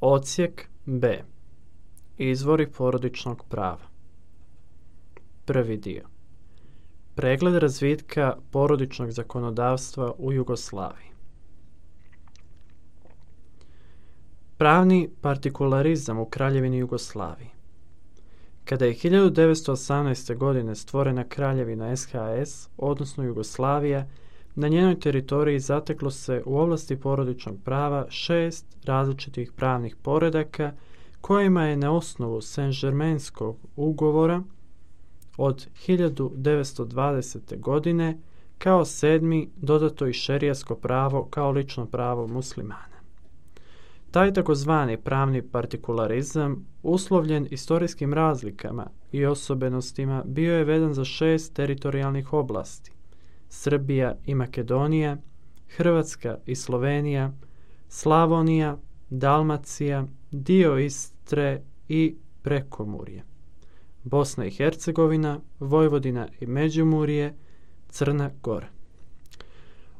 Odsjek B. Izvori porodičnog prava. Prvi dio. Pregled razvitka porodičnog zakonodavstva u Jugoslaviji. Pravni partikularizam u Kraljevini Jugoslaviji. Kada je 1918. godine stvorena Kraljevina SHS, odnosno Jugoslavija, na njenoj teritoriji zateklo se u oblasti porodičnog prava 6 različitih pravnih poredaka kojima je na osnovu Saint-Germainskog ugovora od 1920. godine kao 7. dodato i šerijasko pravo kao lično pravo muslimana. Taj takozvani pravni partikularizam, uslovljen istorijskim razlikama i osobenostima, bio je vezan za 6 teritorijalnih oblasti: Srbija i Makedonija, Hrvatska i Slovenija, Slavonija, Dalmacija, dio Istre i Prekomurje, Bosna i Hercegovina, Vojvodina i Međimurje, Crna Gora.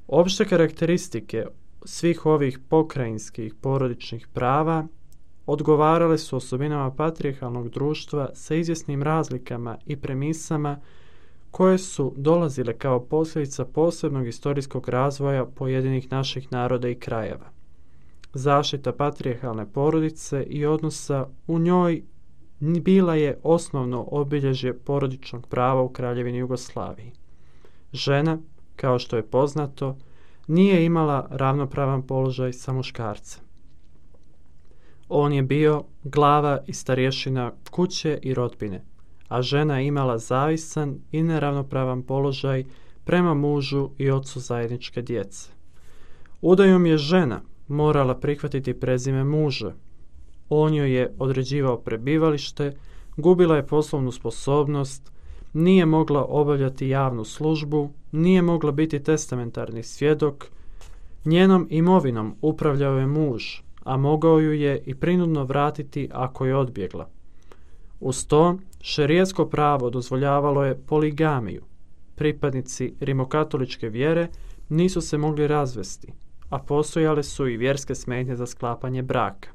Opšte karakteristike svih ovih pokrajinskih porodičnih prava odgovarale su osobinama patrijarhalnog društva sa izvjesnim razlikama i premisama koje su dolazile kao posljedica posebnog istorijskog razvoja pojedinih naših naroda i krajeva. Zaštita patrijarhalne porodice i odnosa u njoj bila je osnovno obilježje porodičnog prava u Kraljevini Jugoslaviji. Žena, kao što je poznato, nije imala ravnopravan položaj sa muškarcem. On je bio glava i starješina kuće i rodbine, a žena je imala zavisan i neravnopravan položaj prema mužu i ocu zajedničke djece. Udajom je žena morala prihvatiti prezime muža. On joj je određivao prebivalište, gubila je poslovnu sposobnost, nije mogla obavljati javnu službu, nije mogla biti testamentarni svjedok, njenom imovinom upravljao je muž, a mogao ju je i prinudno vratiti ako je odbjegla. Uz to, šerijetsko pravo dozvoljavalo je poligamiju. Pripadnici rimokatoličke vjere nisu se mogli razvesti, a postojale su i vjerske smetnje za sklapanje braka.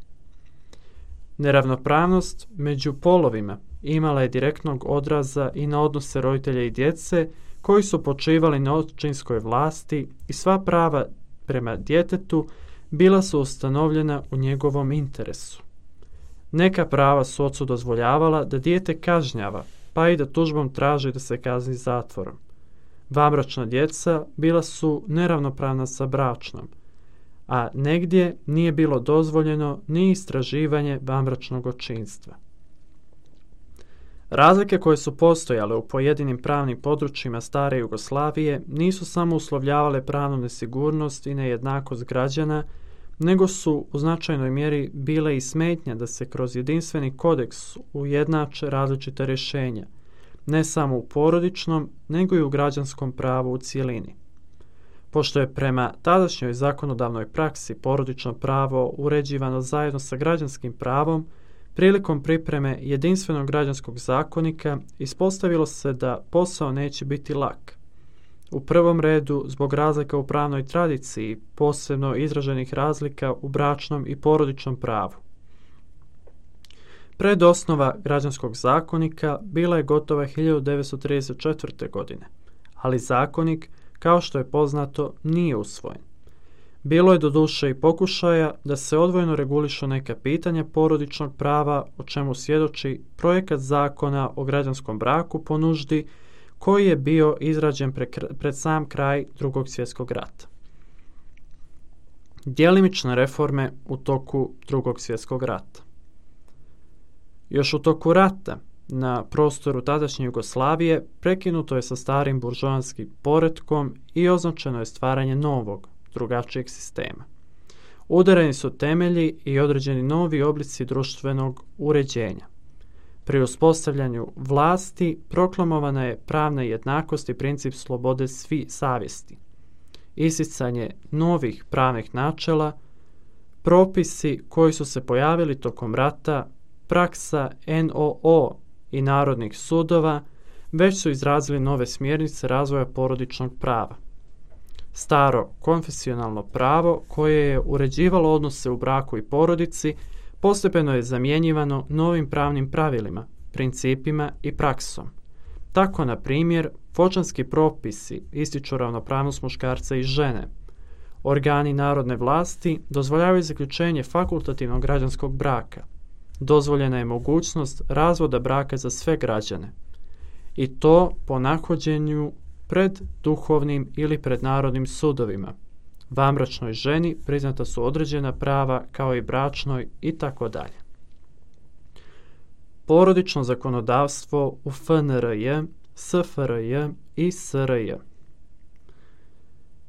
Neravnopravnost među polovima imala je direktnog odraza i na odnose roditelja i djece koji su počivali na očinskoj vlasti i sva prava prema djetetu bila su ustanovljena u njegovom interesu. Neka prava su ocu dozvoljavala da dijete kažnjava, pa i da tužbom traži da se kazni zatvorom. Vanbračna djeca bila su neravnopravna sa bračnom, a negdje nije bilo dozvoljeno ni istraživanje vanbračnog očinstva. Razlike koje su postojale u pojedinim pravnim područjima stare Jugoslavije nisu samo uslovljavale pravnu nesigurnost i nejednakost građana, nego su u značajnoj mjeri bile i smetnja da se kroz jedinstveni kodeks ujednače različite rješenja, ne samo u porodičnom, nego i u građanskom pravu u cjelini. Pošto je prema tadašnjoj zakonodavnoj praksi porodično pravo uređivano zajedno sa građanskim pravom, prilikom pripreme jedinstvenog građanskog zakonika ispostavilo se da posao neće biti lak. U prvom redu zbog razlika u pravnoj tradiciji, posebno izraženih razlika u bračnom i porodičnom pravu. Predosnova građanskog zakonika bila je gotova 1934. godine, ali zakonik, kao što je poznato, nije usvojen. Bilo je doduše i pokušaja da se odvojeno regulišu neka pitanja porodičnog prava, o čemu svjedoči projekat zakona o građanskom braku po nuždi, koji je bio izrađen pred sam kraj Drugog svjetskog rata. Djelimične reforme u toku Drugog svjetskog rata. Još u toku rata na prostoru tadašnje Jugoslavije prekinuto je sa starim buržoanskim poretkom i označeno je stvaranje novog, drugačijeg sistema. Udareni su temelji i određeni novi oblici društvenog uređenja. Pri uspostavljanju vlasti proklamovana je pravna jednakost i princip slobode savjesti. Isticanje novih pravnih načela, propisi koji su se pojavili tokom rata, praksa NOO i narodnih sudova već su izrazili nove smjernice razvoja porodičnog prava. Staro konfesionalno pravo koje je uređivalo odnose u braku i porodici postepeno je zamjenjivano novim pravnim pravilima, principima i praksom. Tako, na primjer, voćanski propisi ističu ravnopravnost muškarca i žene. Organi narodne vlasti dozvoljavaju zaključenje fakultativnog građanskog braka. Dozvoljena je mogućnost razvoda braka za sve građane. I to po nahođenju pred duhovnim ili pred narodnim sudovima. Vanbračnoj ženi priznata su određena prava kao i bračnoj itd. Porodično zakonodavstvo u FNRJ, SFRJ i SRJ.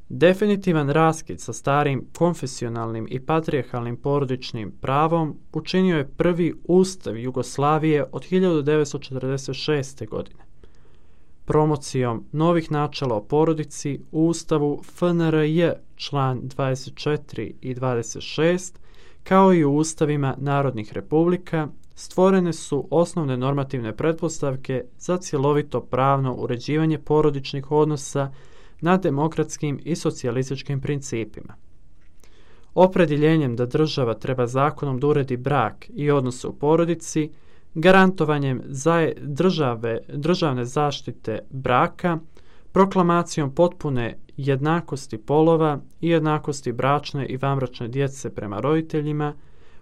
Definitivan raskid sa starim konfesionalnim i patrijarhalnim porodičnim pravom učinio je prvi Ustav Jugoslavije od 1946. godine. Promocijom novih načela o porodici u Ustavu FNRJ član 24 i 26, kao i u ustavima narodnih republika, stvorene su osnovne normativne pretpostavke za cjelovito pravno uređivanje porodičnih odnosa na demokratskim i socijalističkim principima. Opredjeljenjem da država treba zakonom da uredi brak i odnose u porodici, garantovanjem državne zaštite braka, proklamacijom potpune jednakosti polova i jednakosti bračne i vanbračne djece prema roditeljima,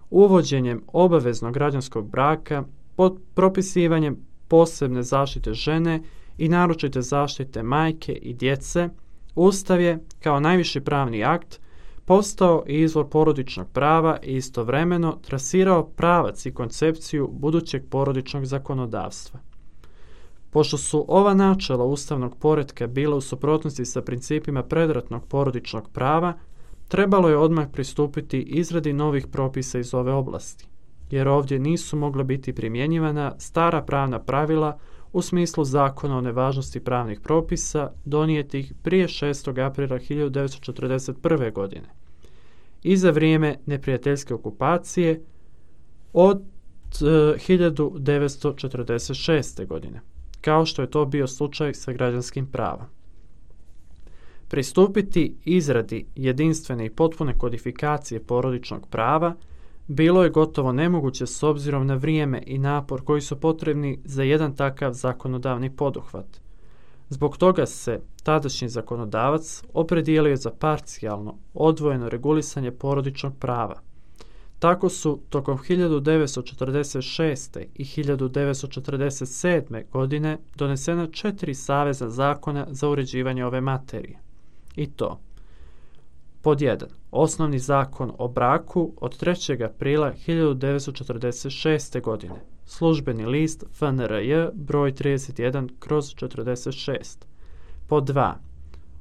uvođenjem obaveznog građanskog braka, pod propisivanjem posebne zaštite žene i naročite zaštite majke i djece, Ustav je, kao najviši pravni akt, postao izvor porodičnog prava i istovremeno trasirao pravac i koncepciju budućeg porodičnog zakonodavstva. Pošto su ova načela ustavnog poretka bila u suprotnosti sa principima predratnog porodičnog prava, trebalo je odmah pristupiti izradi novih propisa iz ove oblasti, jer ovdje nisu mogla biti primjenjivana stara pravna pravila u smislu zakona o nevažnosti pravnih propisa donijetih prije 6. aprila 1941. godine i za vrijeme neprijateljske okupacije od 1946. godine, kao što je to bio slučaj sa građanskim pravom. Pristupiti izradi jedinstvene i potpune kodifikacije porodičnog prava bilo je gotovo nemoguće s obzirom na vrijeme i napor koji su potrebni za jedan takav zakonodavni poduhvat. Zbog toga se tadašnji zakonodavac opredijelio za parcijalno, odvojeno regulisanje porodičnog prava. Tako su tokom 1946. i 1947. godine donesena 4 savezna zakona za uređivanje ove materije. I to: pod 1. Osnovni zakon o braku od 3. aprila 1946. godine, službeni list FNRJ broj 31/46. Pod 2.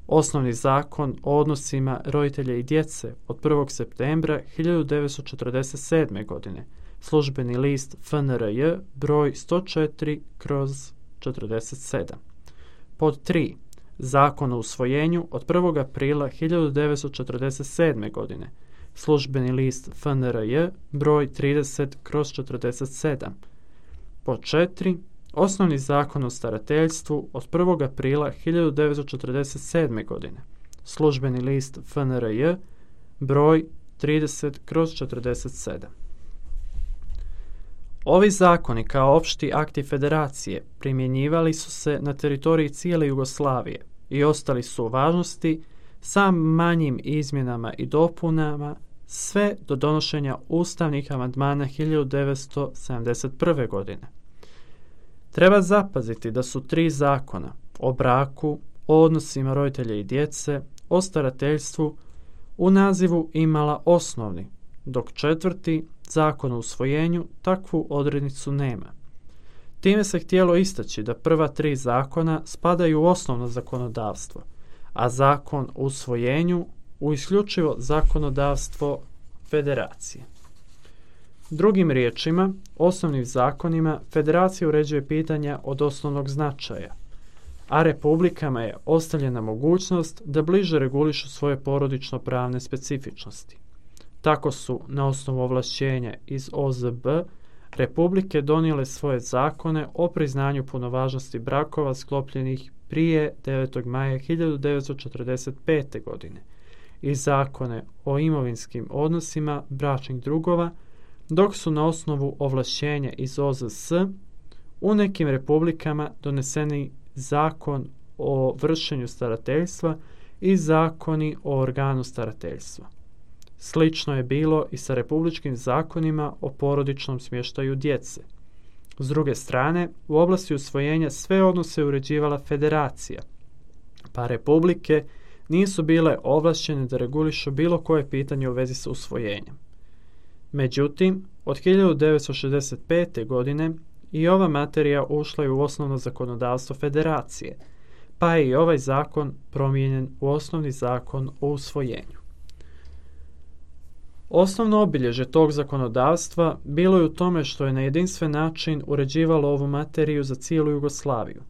Osnovni zakon o odnosima roditelja i djece od 1. septembra 1947. godine, službeni list FNRJ broj 104/47. Pod 3. Zakon o usvojenju od 1. aprila 1947. godine, službeni list FNRJ broj 30/47. Pod 4. Osnovni zakon o starateljstvu od 1. aprila 1947. godine, službeni list FNRJ broj 30/47. Ovi zakoni kao opšti akti federacije primjenjivali su se na teritoriji cijele Jugoslavije i ostali su u važnosti sa manjim izmjenama i dopunama sve do donošenja ustavnih amandmana 1971. godine. Treba zapaziti da su 3 zakona o braku, o odnosima roditelja i djece, o starateljstvu u nazivu imala osnovni, dok 4. zakon o usvojenju takvu odrednicu nema. Time se htjelo istaći da prva 3 zakona spadaju u osnovno zakonodavstvo, a zakon o usvojenju u isključivo zakonodavstvo federacije. Drugim riječima, osnovnim zakonima federacija uređuje pitanja od osnovnog značaja, a republikama je ostavljena mogućnost da bliže regulišu svoje porodično-pravne specifičnosti. Tako su, na osnovu ovlašćenja iz OZB, republike donijele svoje zakone o priznanju punovažnosti brakova sklopljenih prije 9. maja 1945. godine i zakone o imovinskim odnosima bračnih drugova dok su na osnovu ovlašćenja iz OZS u nekim republikama doneseni zakon o vršenju starateljstva i zakoni o organu starateljstva. Slično je bilo i sa republičkim zakonima o porodičnom smještaju djece. S druge strane, u oblasti usvojenja sve odnose uređivala federacija, pa republike nisu bile ovlašćene da regulišu bilo koje pitanje u vezi sa usvojenjem. Međutim, od 1965. godine i ova materija ušla je u osnovno zakonodavstvo federacije, pa je i ovaj zakon promijenjen u osnovni zakon o usvojenju. Osnovno obilježje tog zakonodavstva bilo je u tome što je na jedinstven način uređivalo ovu materiju za cijelu Jugoslaviju.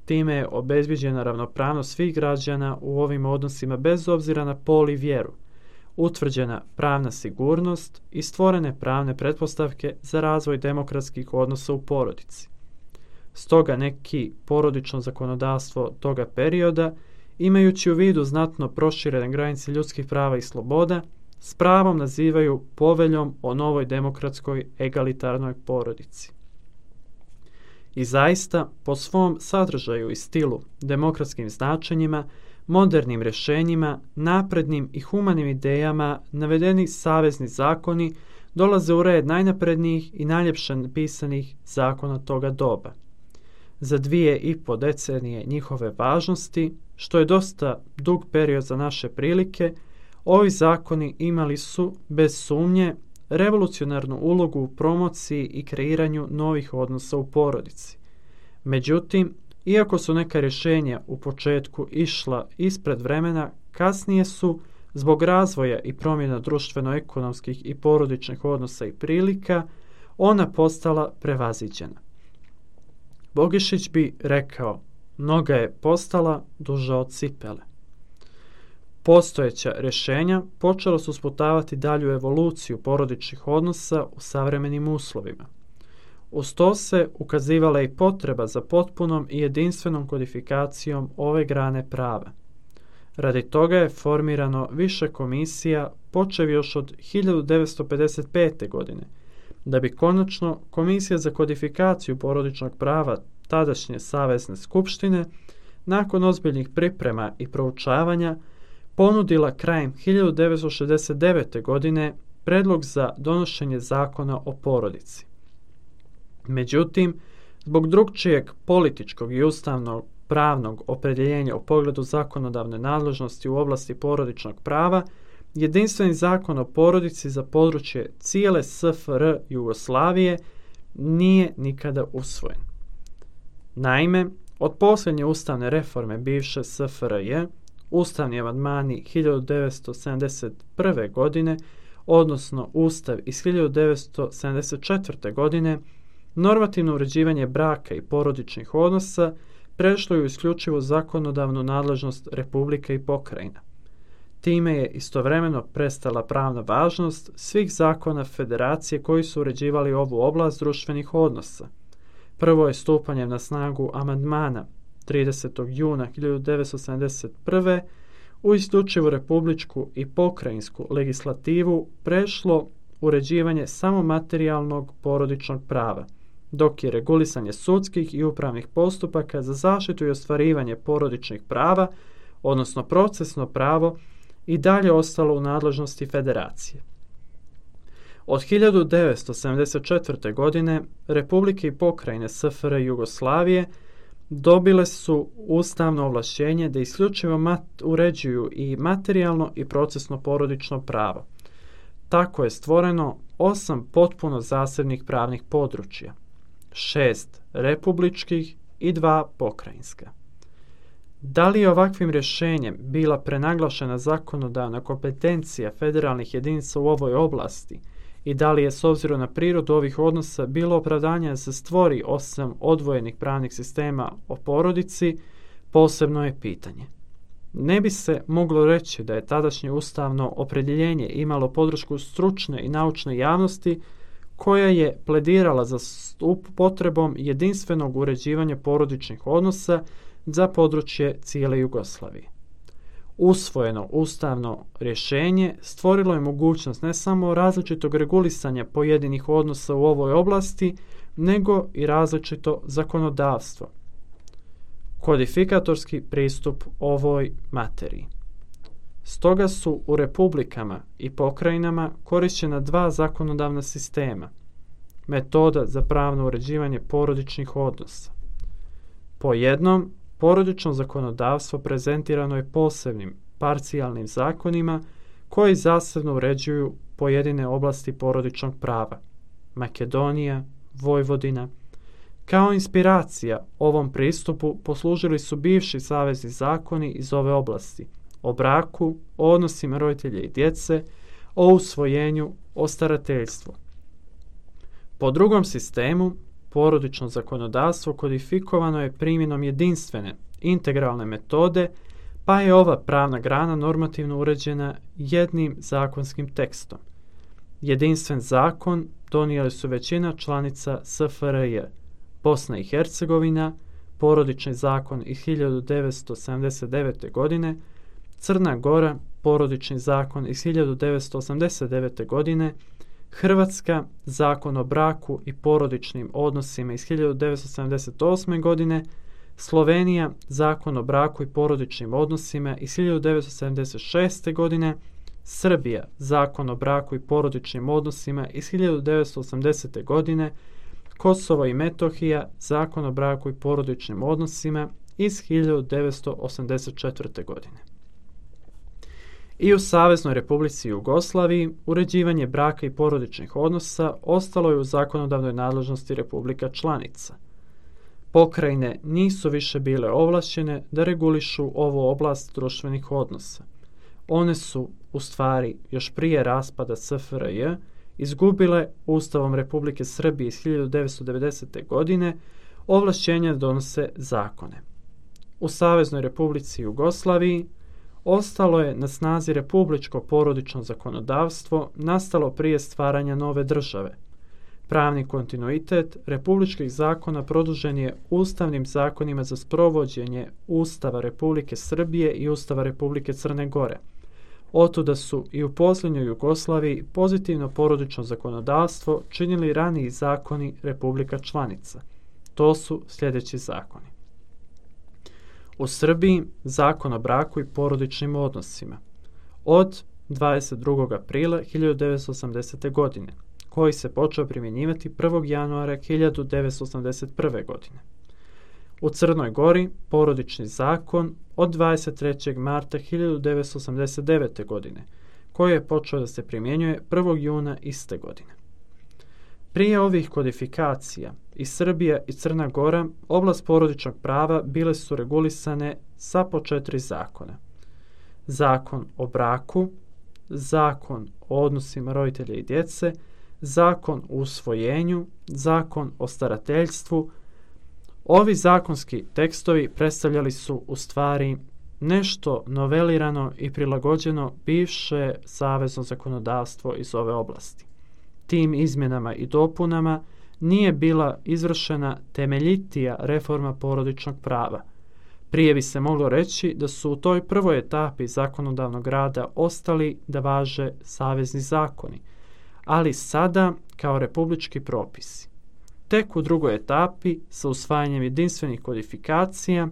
Time je obezbijeđena ravnopravnost svih građana u ovim odnosima bez obzira na pol i vjeru, utvrđena pravna sigurnost i stvorene pravne pretpostavke za razvoj demokratskih odnosa u porodici. Stoga neki porodično zakonodavstvo toga perioda, imajući u vidu znatno proširene granice ljudskih prava i sloboda, s pravom nazivaju poveljom o novoj demokratskoj egalitarnoj porodici. I zaista, po svom sadržaju i stilu, demokratskim značenjima, modernim rješenjima, naprednim i humanim idejama, navedeni savezni zakoni dolaze u red najnaprednijih i najljepše pisanih zakona toga doba. Za 2,5 decenije njihove važnosti, što je dosta dug period za naše prilike, ovi zakoni imali su, bez sumnje, revolucionarnu ulogu u promociji i kreiranju novih odnosa u porodici. Međutim, iako su neka rješenja u početku išla ispred vremena, kasnije su, zbog razvoja i promjena društveno-ekonomskih i porodičnih odnosa i prilika, ona postala prevaziđena. Bogišić bi rekao, noga je postala duža od cipele. Postojeća rješenja počela su sputavati dalju evoluciju porodičnih odnosa u savremenim uslovima. Uz to se ukazivala i potreba za potpunom i jedinstvenom kodifikacijom ove grane prava. Radi toga je formirano više komisija, počev još od 1955. godine, da bi konačno Komisija za kodifikaciju porodičnog prava tadašnje Savezne skupštine, nakon ozbiljnih priprema i proučavanja, ponudila krajem 1969. godine predlog za donošenje zakona o porodici. Međutim, zbog drugčijeg političkog i ustavnog pravnog opredjeljenja u pogledu zakonodavne nadležnosti u oblasti porodičnog prava, jedinstveni zakon o porodici za područje cijele SFR Jugoslavije nije nikada usvojen. Naime, od posljednje ustavne reforme bivše SFRJ, ustavni amandmani 1971. godine, odnosno Ustav iz 1974. godine, normativno uređivanje braka i porodičnih odnosa prešlo je u isključivo zakonodavnu nadležnost republika i pokrajina. Time je istovremeno prestala pravna važnost svih zakona federacije koji su uređivali ovu oblast društvenih odnosa. Prvo je stupanjem na snagu amandmana 30. juna 1971. u isključivu republičku i pokrajinsku legislativu prešlo uređivanje samo materijalnog porodičnog prava, dok je regulisanje sudskih i upravnih postupaka za zaštitu i ostvarivanje porodičnih prava, odnosno procesno pravo, i dalje ostalo u nadležnosti federacije. Od 1974. godine republike i pokrajine SFR Jugoslavije dobile su ustavno ovlašćenje da isključivo uređuju i materijalno i procesno porodično pravo. Tako je stvoreno 8 potpuno zasebnih pravnih područja, 6 republičkih i 2 pokrajinska. Da li je ovakvim rješenjem bila prenaglašena zakonodavna kompetencija federalnih jedinica u ovoj oblasti i da li je s obzirom na prirodu ovih odnosa bilo opravdanje da se stvori 8 odvojenih pravnih sistema o porodici, posebno je pitanje. Ne bi se moglo reći da je tadašnje ustavno opredjeljenje imalo podršku stručne i naučne javnosti koja je pledirala za potrebom jedinstvenog uređivanja porodičnih odnosa za područje cijele Jugoslavije. Usvojeno ustavno rješenje stvorilo je mogućnost ne samo različitog regulisanja pojedinih odnosa u ovoj oblasti, nego i različito zakonodavstvo. Kodifikatorski pristup ovoj materiji. Stoga su u republikama i pokrajinama korišćena dva zakonodavna sistema, metoda za pravno uređivanje porodičnih odnosa. Po jednom, porodično zakonodavstvo prezentirano je posebnim, parcijalnim zakonima koji zasebno uređuju pojedine oblasti porodičnog prava, Makedonija, Vojvodina. Kao inspiracija ovom pristupu poslužili su bivši savezni zakoni iz ove oblasti, o braku, o odnosima roditelja i djece, o usvojenju, o starateljstvu. Po drugom sistemu, porodično zakonodavstvo kodifikovano je primjenom jedinstvene, integralne metode, pa je ova pravna grana normativno uređena jednim zakonskim tekstom. Jedinstven zakon donijeli su većina članica SFRJ, Bosna i Hercegovina, porodični zakon iz 1979. godine, Crna Gora, porodični zakon iz 1989. godine, Hrvatska, zakon o braku i porodičnim odnosima iz 1978. godine, Slovenija, zakon o braku i porodičnim odnosima iz 1976. godine, Srbija, zakon o braku i porodičnim odnosima iz 1980. godine, Kosovo i Metohija, zakon o braku i porodičnim odnosima iz 1984. godine. I u Saveznoj Republici Jugoslaviji uređivanje braka i porodičnih odnosa ostalo je u zakonodavnoj nadležnosti republika članica. Pokrajine nisu više bile ovlašćene da regulišu ovu oblast društvenih odnosa. One su, u stvari, još prije raspada SFRJ, izgubile Ustavom Republike Srbije iz 1990. godine ovlašćenja da donose zakone. U Saveznoj Republici Jugoslaviji ostalo je na snazi republičko porodično zakonodavstvo nastalo prije stvaranja nove države. Pravni kontinuitet republičkih zakona produžen je ustavnim zakonima za sprovođenje Ustava Republike Srbije i Ustava Republike Crne Gore. Otuda su i u posljednjoj Jugoslaviji pozitivno porodično zakonodavstvo činili raniji zakoni republika članica. To su sljedeći zakoni. U Srbiji zakon o braku i porodičnim odnosima od 22. aprila 1980. godine, koji se počeo primjenjivati 1. januara 1981. godine. U Crnoj Gori porodični zakon od 23. marta 1989. godine, koji je počeo da se primjenjuje 1. juna iste godine. Prije ovih kodifikacija i Srbija i Crna Gora oblast porodičnog prava bile su regulisane sa po 4 zakona. Zakon o braku, zakon o odnosima roditelja i djece, zakon o usvojenju, zakon o starateljstvu. Ovi zakonski tekstovi predstavljali su u stvari nešto novelirano i prilagođeno bivše savezno zakonodavstvo iz ove oblasti. Tim izmjenama i dopunama nije bila izvršena temeljitija reforma porodičnog prava. Prije bi se moglo reći da su u toj prvoj etapi zakonodavnog rada ostali da važe savezni zakoni, ali sada kao republički propisi. Tek u drugoj etapi, sa usvajanjem jedinstvenih kodifikacija,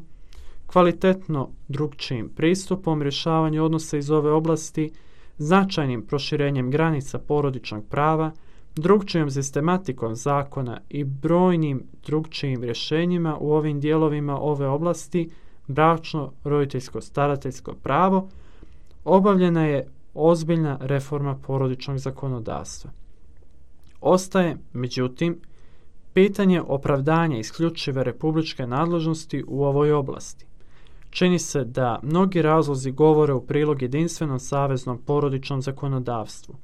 kvalitetno drugčijim pristupom rješavanju odnosa iz ove oblasti, značajnim proširenjem granica porodičnog prava, drugčijom sistematikom zakona i brojnim drugčijim rješenjima u ovim dijelovima ove oblasti, bračno, roditeljsko, starateljsko pravo, obavljena je ozbiljna reforma porodičnog zakonodavstva. Ostaje, međutim, pitanje opravdanja isključive republičke nadležnosti u ovoj oblasti. Čini se da mnogi razlozi govore u prilog jedinstvenom saveznom porodičnom zakonodavstvu.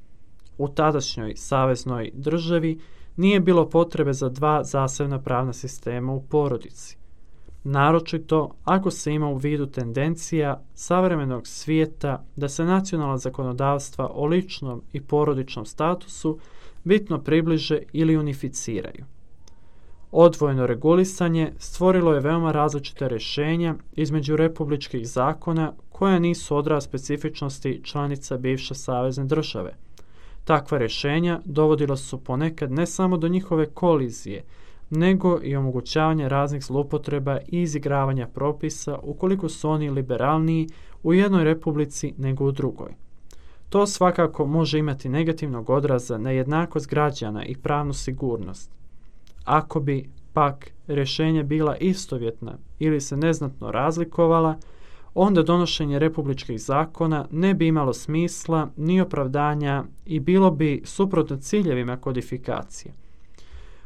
U tadašnjoj saveznoj državi nije bilo potrebe za dva zasebna pravna sistema u porodici. Naročito ako se ima u vidu tendencija savremenog svijeta da se nacionalna zakonodavstva o ličnom i porodičnom statusu bitno približe ili unificiraju. Odvojeno regulisanje stvorilo je veoma različite rješenja između republičkih zakona koja nisu odraz specifičnosti članica bivše savezne države. Takva rješenja dovodila su ponekad ne samo do njihove kolizije, nego i omogućavanje raznih zloupotreba i izigravanja propisa ukoliko su oni liberalniji u jednoj republici nego u drugoj. To svakako može imati negativnog odraza na jednakost građana i pravnu sigurnost. Ako bi pak rješenja bila istovjetna ili se neznatno razlikovala, onda donošenje republičkih zakona ne bi imalo smisla ni opravdanja i bilo bi suprotno ciljevima kodifikacije.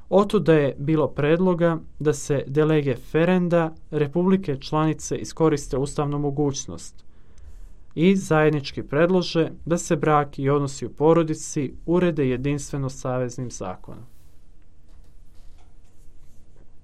Otuda je bilo predloga da se de lege ferenda republike članice iskoriste ustavnu mogućnost i zajednički predlože da se brak i odnosi u porodici urede jedinstveno saveznim zakonom.